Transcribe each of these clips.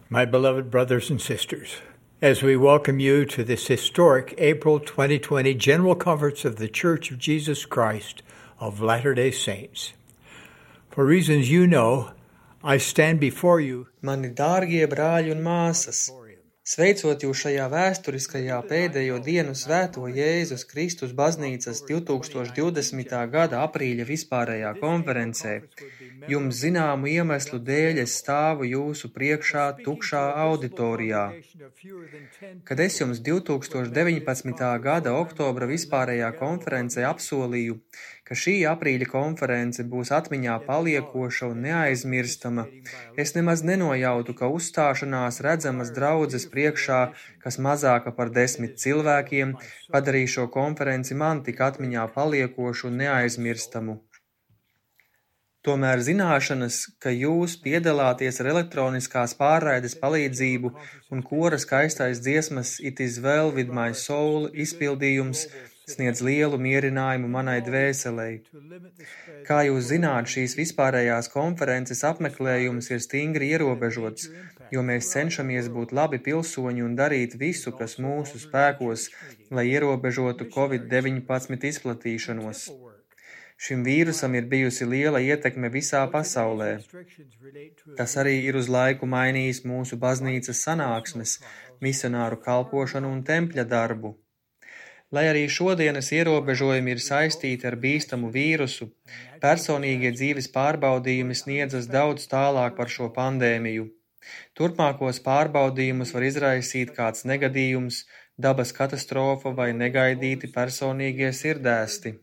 My beloved brothers and sisters, as we welcome you to this historic April 2020 General Conference of the Church of Jesus Christ of Latter-day Saints. For reasons you know, I stand before you. Mani dārgie brāļi un māsas, sveicot jūs šajā vēsturiskajā pēdējo dienu svēto Jēzus Kristus baznīcas 2020. gada aprīļa vispārējā konferencē, jums zināmu iemeslu dēļ es stāvu jūsu priekšā tukšā auditorijā. Kad es jums 2019. gada oktobra vispārējā konferencē apsolīju, ka šī aprīļa konference būs atmiņā paliekoša un neaizmirstama, es nemaz nenojautu, ka uzstāšanās redzamas draudzes priekšā, kas mazāka par 10 cilvēkiem, padarīs šo konferenci man tik atmiņā paliekošu un neaizmirstamu. Tomēr zināšanas, ka jūs piedalāties ar elektroniskās pārraides palīdzību un kora skaistais dziesmas It is well with my soul izpildījums sniedz lielu mierinājumu manai dvēselei. Kā jūs zināt, šīs vispārējās konferences apmeklējums ir stingri ierobežots, jo mēs cenšamies būt labi pilsoņi un darīt visu, kas mūsu spēkos, lai ierobežotu Covid-19 izplatīšanos. Šim vīrusam ir bijusi liela ietekme visā pasaulē. Tas arī ir uz laiku mainījis mūsu baznīcas sanāksmes, misionāru kalpošanu un tempļa darbu. Lai arī šodienas ierobežojumi ir saistīti ar bīstamu vīrusu, personīgie dzīves pārbaudījumi sniedzas daudz tālāk par šo pandēmiju. Turpmākos pārbaudījumus var izraisīt kāds negadījums, dabas katastrofa vai negaidīti personīgie sirdēsti.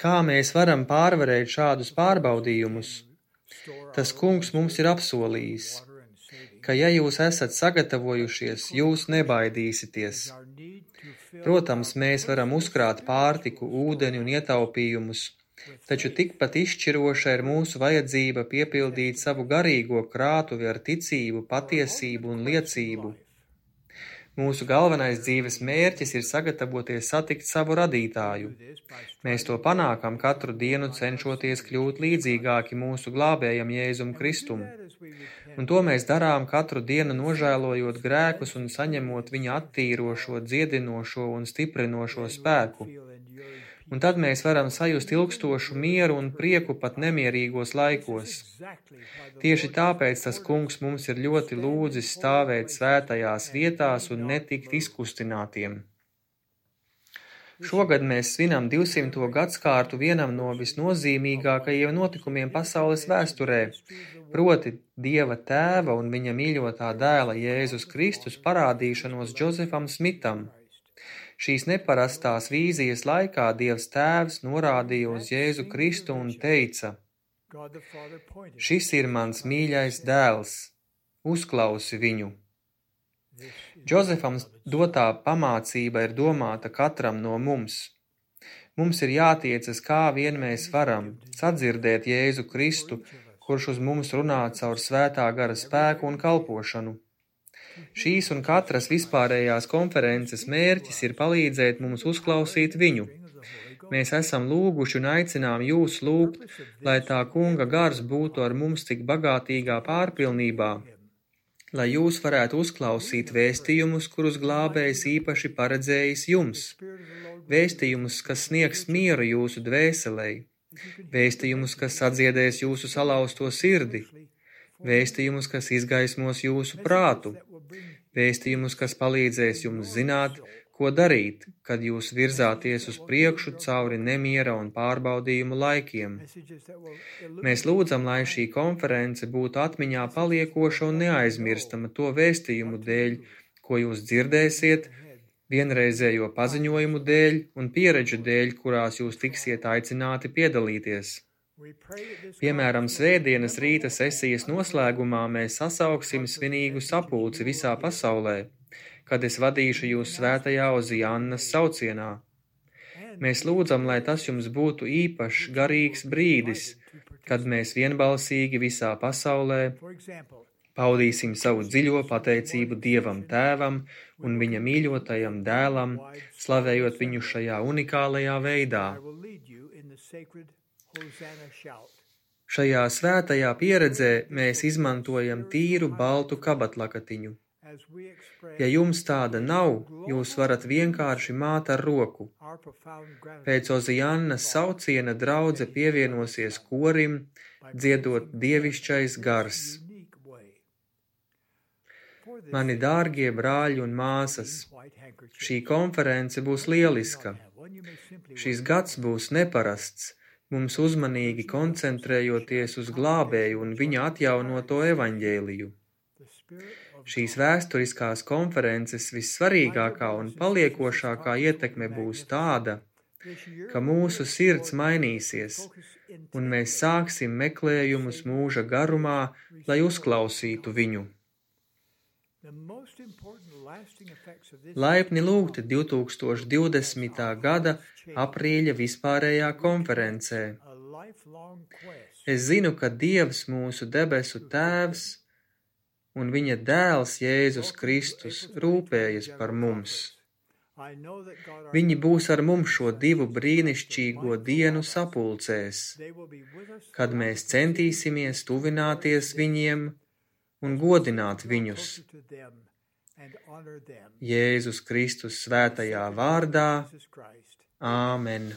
Kā mēs varam pārvarēt šādus pārbaudījumus? Tas Kungs mums ir apsolījis, ka ja jūs esat sagatavojušies, jūs nebaidīsieties. Protams, mēs varam uzkrāt pārtiku, ūdeni un ietaupījumus, taču tikpat izšķiroša ir mūsu vajadzība piepildīt savu garīgo krātuvi ar ticību, patiesību un liecību. Mūsu galvenais dzīves mērķis ir sagatavoties satikt savu radītāju. Mēs to panākam katru dienu cenšoties kļūt līdzīgāki mūsu glābējam Jēzum Kristum. Un to mēs darām katru dienu nožēlojot grēkus un saņemot viņa attīrošo, dziedinošo un stiprinošo spēku. Un tad mēs varam sajust ilgstošu mieru un prieku pat nemierīgos laikos. Tieši tāpēc tas Kungs mums ir ļoti lūdzis stāvēt svētajās vietās un netikt izkustinātiem. Šogad mēs svinam 200. gadskārtu vienam no visnozīmīgākajiem notikumiem pasaules vēsturē, proti Dieva Tēva un viņa mīļotā dēla Jēzus Kristus parādīšanos Džozefam Smitam. Šīs neparastās vīzijas laikā Dievs Tēvs norādīja uz Jēzu Kristu un teica: Šis ir mans mīļais dēls, uzklausi viņu. Džozefam dotā pamācība ir domāta katram no mums. Mums ir jātiecas, kā vien mēs varam, sadzirdēt Jēzu Kristu, kurš uz mums runā caur svētā gara spēku un kalpošanu. Šīs un katras vispārējās konferences mērķis ir palīdzēt mums uzklausīt viņu. Mēs esam lūguši un aicinām jūs lūgt, lai tā Kunga gars būtu ar mums tik bagātīgā pārpilnībā, lai jūs varētu uzklausīt vēstījumus, kurus glābējs īpaši paredzējis jums, vēstījumus, kas sniegs mieru jūsu dvēselei, vēstījumus, kas sadziedēs jūsu salauzto sirdi, vēstījumus, kas izgaismos jūsu prātu, vēstījumus, kas palīdzēs jums zināt, ko darīt, kad jūs virzāties uz priekšu cauri nemiera un pārbaudījumu laikiem. Mēs lūdzam, lai šī konference būtu atmiņā paliekoša un neaizmirstama to vēstījumu dēļ, ko jūs dzirdēsiet, vienreizējo paziņojumu dēļ un pieredžu dēļ, kurās jūs tiksiet aicināti piedalīties. Piemēram, svētdienas rīta sesijas noslēgumā mēs sasauksim svinīgu sapulci visā pasaulē, kad es vadīšu jūs svētajā Oziannas saucienā. Mēs lūdzam, lai tas jums būtu īpašs, garīgs brīdis, kad mēs vienbalsīgi visā pasaulē paudīsim savu dziļo pateicību Dievam Tēvam un viņa mīļotajam dēlam, slavējot viņu šajā unikālajā veidā. Šajā svētajā pieredzē mēs izmantojam tīru baltu kabatlakatiņu. Ja jums tāda nav, jūs varat vienkārši māt ar roku. Pēc Oziannas sauciena draudze pievienosies korim, dziedot dievišķais gars. Mani dārgie brāļi un māsas, šī konference būs lieliska. Šis gads būs neparasts, mums uzmanīgi koncentrējoties uz glābēju un viņa atjaunoto evaņģēliju. Šīs vēsturiskās konferences vissvarīgākā un paliekošākā ietekme būs tāda, ka mūsu sirds mainīsies, un mēs sāksim meklējumus mūža garumā, lai uzklausītu viņu. Laipni lūgti 2020. gada aprīļa vispārējā konferencē. Es zinu, ka Dievs mūsu debesu Tēvs un viņa dēls Jēzus Kristus rūpējas par mums. Viņi būs ar mums šo divu brīnišķīgo dienu sapulcēs, kad mēs centīsimies tuvināties viņiem un godināt viņus. Jēzus Kristus svētajā vārdā. Āmen.